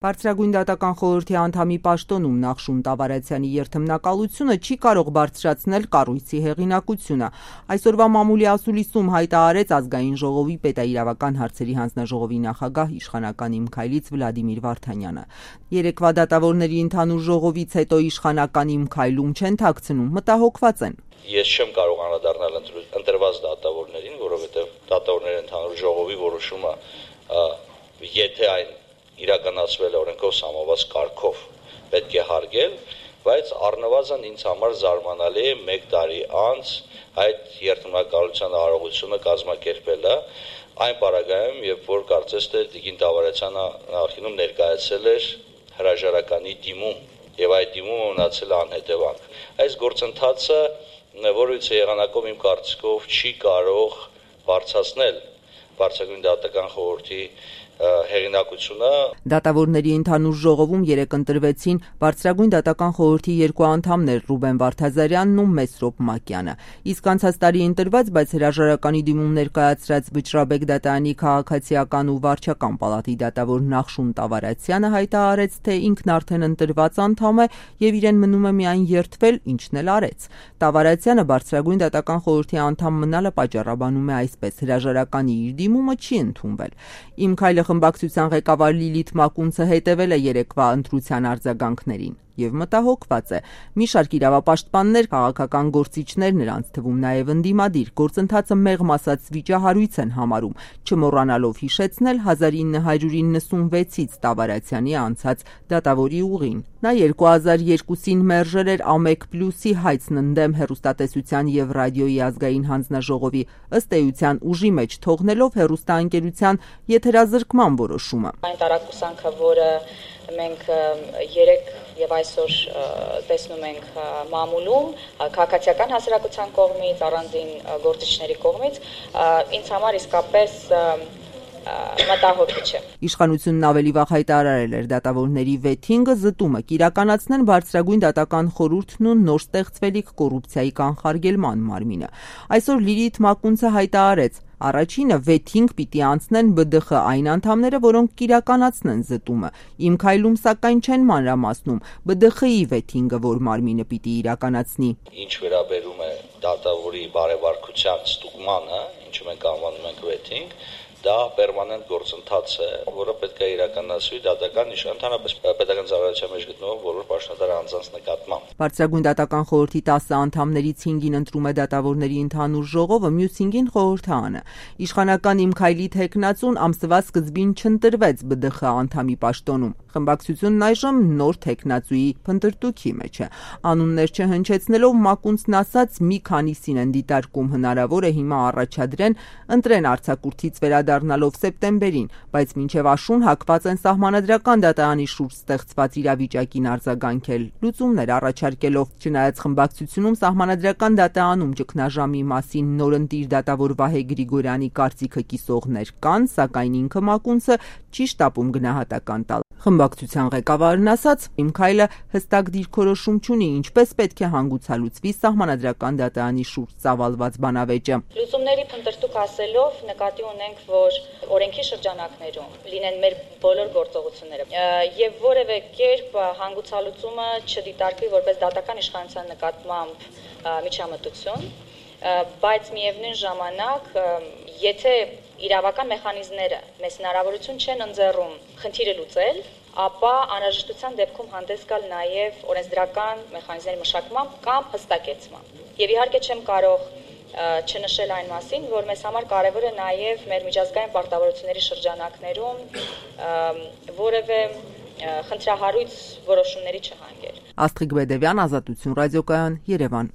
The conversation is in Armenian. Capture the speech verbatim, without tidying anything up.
Բարձրագույն դատական խորհրդի անդամի պաշտոնում Նախշուն Տավարյանի երթմնակալությունը չի կարող բարձրացնել կառույցի հեղինակությունը։ Այսօրվա մամուլի ասուլիսում հայտարարեց Ազգային ժողովի պետաիրավական հարցերի հանձնաժողովի նախագահ իշխանական Իմ Քայլից Վլադիմիր Վարդանյանը։ Երեկվա դատավորների ընդհանուր ժողովից հետո իշխանական Իմ Քայլում չեն թաքցնում, մտահոգված են։ Ես չեմ կարող անդրադառնալ ընտրված դատավորներին, որովհետև դատավորների ընդհանուր ժողովի որոշումը եթե այն իրականացվել օրենքով սահմանված կարգով պետք է հարգել, բայց առնվազն ինձ համար զարմանալի է մեկ տարի անց այդ երթմնակալության արարողությունը կազմակերպելը այն պարագայում, երբ որ կարծես թե Տիկին Տավարյանը նախինում ներկայացել էր հրաժարականի դիմում եւ այդ դիմումը մնացել անհետևանք։ Այս գործընթացը, որից եղանակով իմ կարծիքով չի կարող բարձրացնել Բարձրագույն դատական խորհրդի հեղինակությունը։ Դատավորների ընդհանուր ժողովում երեկ ընտրվեցին Բարձրագույն դատական խորհրդի երկու անդամներ Ռուբեն Վարդազարյանն ու Մեսրոպ Մակյանը։ Իսկ անցած տարի ընտրված, բայց հրաժարականի դիմում ներկայացրած Վճռաբեկ դատարանի քաղաքացիական ու վարչական պալատի դատավոր Նախշուն Տավարյանը հայտարարեց, թե ինքն արդեն ընտրված անդամ է եւ իրեն մնում է միայն երդվել, ինչն էլ արեց։ Տավարյանը Բարձրագույն դատական խորհրդի անդամ մնալը պատճառաբանում է այսպես. հրաժարականի իր դիմումը չի ընդունվել։ Իմ Քայլը խմբակցության ղեկավար Լիլիթ Մակունցը հետևել է երեկվա ընտրության արձագանքներին եւ մտահոգված է։ Մի շարք իրավապաշտպաններ, քաղաքական գործիչներ, նրանց թվում նաեւ ընդդիմադիր, գործընթացը մեղմ ասած վիճահարույց են համարում, չմոռանալով հիշեցնել հազար ինը հարյուր իննսունվեցից Տավարյանի անցած դատավորի ուղին։ Նա երկու հազար երկուսին մերժել էր Ամեկ Պլյուսի հայցն ընդդեմ հեռուստատեսության եւ ռադիոյի ազգային հանձնաժողովի ըստ էության ուժի մեջ թողնելով հեռուստաընկերության եթերազրկման որոշումը։ Այն տարակուսանքը, որը մենք երեք եւ այսօր տեսնում ենք մամուլում քաղաքացիական հասարակության կողմից, առանձին գործիչների կողմից, ինձ համար իսկապես մտահոգիչ է։ Իշխանությունն ավելի վաղ հայտարարել էր դատավորների վեթինգը զտումը կիրականացնեն Բարձրագույն դատական խորհուրդն ու նոր ստեղծվելիք կոռուպցիայի կանխարգելման մարմինը։ Այսօր Լիլիթ Մակունցը հայտարարեց. Առաջինը վեթինգ պիտի անցնեն Բ Դ Խ այն անդամները, որոնք կիրականացնեն զտումը։ Իմ Քայլում սակայն չեն մանրամասնում Բ Դ Խ-ի վեթինգը, որ մարմինը պիտի իրականացնի։ Ինչ վերաբերում է դատավորի բարեվարկության ստուգմանը, ինչը մենք անվանում ենք վեթինգ, դա պերմանենտ գործընթաց է, որը պետք է իրականացվի դատական ընդհանրապես պետական ծառայության մեջ գտնվող բոլոր պաշտոնատար անձանց նկատմամբ։ Բարձրագույն դատական խորհրդի տասը անդամներից հինգին ընտրում է դատավորների ընդհանուր ժողովը, մյուս հինգին խորհրդարանը։ Իշխանական Իմ Քայլի թեկնածուն ամսվա սկզբին չընտրվեց Բ Դ Խ անդամի պաշտոնում։ Խմբակցությունն այժմ նոր թեկնածուի փնտրտուքի մեջ է։ Անուններ չհնչեցնելով Մակունցն ասաց, մի քանիսին են դիտարկում, հնարավոր է հիմա առաջադրեն ընտրեն արձակուրդից վերադառնալով սեպտեմբերին, բայց մինչև աշուն հակված են սահմանադրական դատարանի շուրջ ստեղծված իրավիճակին արձագանքել, լուծումներ առաջարկելով։ Չնայած խմբակցությունում սահմանադրական դատարանում ճգնաժամի մասին նորընտիր դատավոր Վահե Գրիգորյանի կարծիքը կիսողներ կան, սակայն ինքը Մակունցը չի շտապում գնահատական տալ։ Խմբակցության ղեկավարն ասաց, Իմ Քայլը հստակ դիրքորոշում չունի, ինչպես պետք է հանգուցալուծվի սահմանադրական դատարանի շուրջ ծավալված բանավեճը։ Լուծումների փնտրտուք ասելով նկատի ունենք, որ օրենքի շրջանակներում լինեն մեր բոլոր գործողությունները եւ որևէ կերպ հանգուցալուծումը չդիտարկվի որպես դատական իշխանության նկատմամբ միջամտություն, բայց միևնույն ժամանակ, եթե իրավական մեխանիզմները մեզ հնարավորություն չեն ընձեռում խնդիրը լուծել, ապա անհրաժեշտության դեպքում հանդես գալ նաև օրենսդրական մեխանիզմների մշակմամբ կամ հստակեցմամբ։ Եվ իհարկե չեմ կարող չնշել այն մասին, որ մեզ համար կարևոր է նաև մեր միջազգային պարտավորությունների շրջանակներում որևէ խնդրահարույց որոշումների չհանգել։ Աստղիկ Բեդևյան, Ազատություն ռադիոկայան, Երևան։